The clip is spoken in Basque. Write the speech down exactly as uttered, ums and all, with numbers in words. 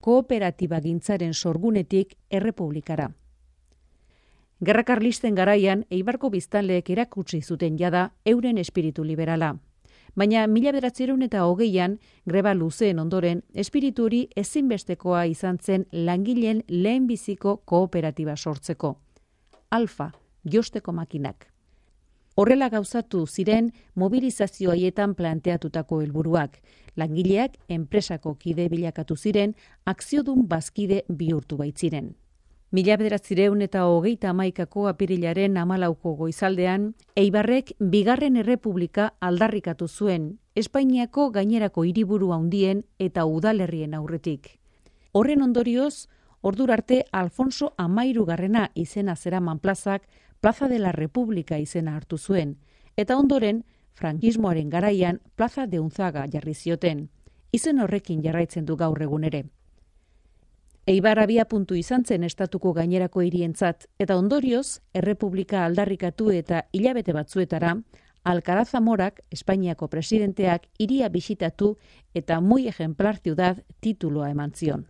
kooperatiba gintzaren sorgunetik errepublikara. Gerra Karlisten garaian Eibarko biztanleek erakutsi zuten jada euren espiritu liberala. Baina mila bederatziehun eta hogeian, greba luzeen ondoren, espiritu hori ezinbestekoa izan zen langileen lehenbiziko kooperatiba sortzeko. Alfa, josteko makinak. Horrela gauzatu ziren mobilizazio haietan planteatutako helburuak. Langileak enpresako kide bilakatu ziren, akziodun bazkide bihurtu baitziren. Mila bederatziehun eta hogeita hamaikako apirilaren hamalauko goizaldean, Eibarrek bigarren errepublika aldarrikatu zuen, Espainiako gainerako hiriburu handien eta udalerrien aurretik. Horren ondorioz, ordura arte Alfonso Hamairugarrena izena zeraman plazak Plaza de la República izena hartu zuen, eta ondoren, frankismoaren garaian Plaza de Unzaga jarri zioten. Izen horrekin jarraitzen du gaur egun ere. Eibar abiapuntu izan zen estatuko gainerako hirientzat, eta ondorioz, errepublika aldarrikatu eta hilabete batzuetara, Alcaraz Zamorak, Espainiako presidenteak, hiria bisitatu eta muy ejemplar ciudad tituloa eman zion.